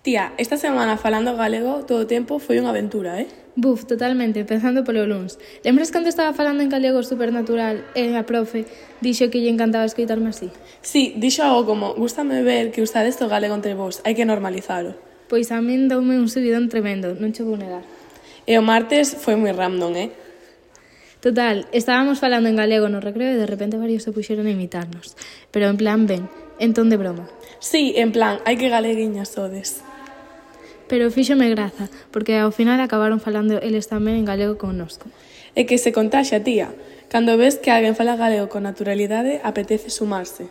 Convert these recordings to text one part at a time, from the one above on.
Tía, esta semana falando galego todo o tempo foi unha aventura, Buf, totalmente, empezando polo luns. Lembras cando estaba falando en galego supernatural e a profe dixo que lle encantaba escoitarme así? Sí, dixo algo como, gústame ver que usades o galego entre vos, hai que normalizalo. Pois a min doume un subidón tremendo, non che vou negar. E o martes foi moi random, Total, estábamos falando en galego no recreo e de repente varios se puxeron a imitarnos. Pero en plan ben, en ton de broma. Sí, en plan, hai que galeguiñas sodes. Pero fíxome graza, porque ao final acabaron falando eles tamén en galego connosco. É que se contaxa, tía. Cando ves que alguén fala galego con naturalidade, apetece sumarse.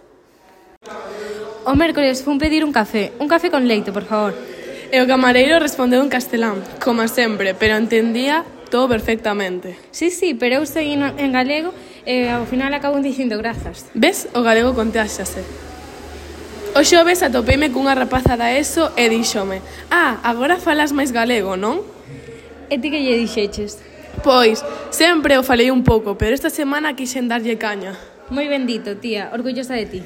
O mércoles fun pedir un café con leite, por favor. E o camareiro respondeu en castelán, como sempre, pero entendía todo perfectamente. Sí, pero eu segui en galego e ao final acabo dicindo grazas. Ves? O galego contáxase. O xoves atopeime cunha rapaza da ESO e díxome: agora falas máis galego, non? E ti que lle dixeches? Pois, sempre o falei un pouco, pero esta semana quixen darlle caña. Moi bendito, tía, orgullosa de ti.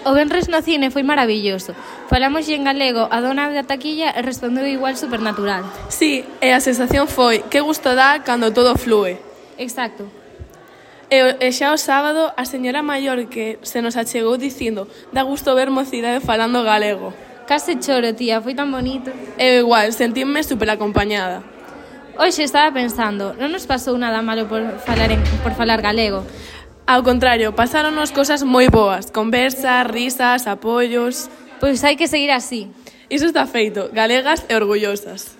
O venres no cine foi maravilloso. Falamos en galego a dona da taquilla e respondeu igual supernatural. Sí, e a sensación foi que gusto dá cando todo flúe. Exacto. E xa o sábado, a señora maior que se nos achegou dicindo dá gusto ver mocidade falando galego. Case choro, tía, foi tan bonito. Eu igual, sentíme super acompañada. Hoxe estaba pensando, non nos pasou nada malo por falar galego. Ao contrario, pasáronos cosas moi boas, conversas, risas, apoios. Pois hai que seguir así. Iso está feito, galegas e orgullosas.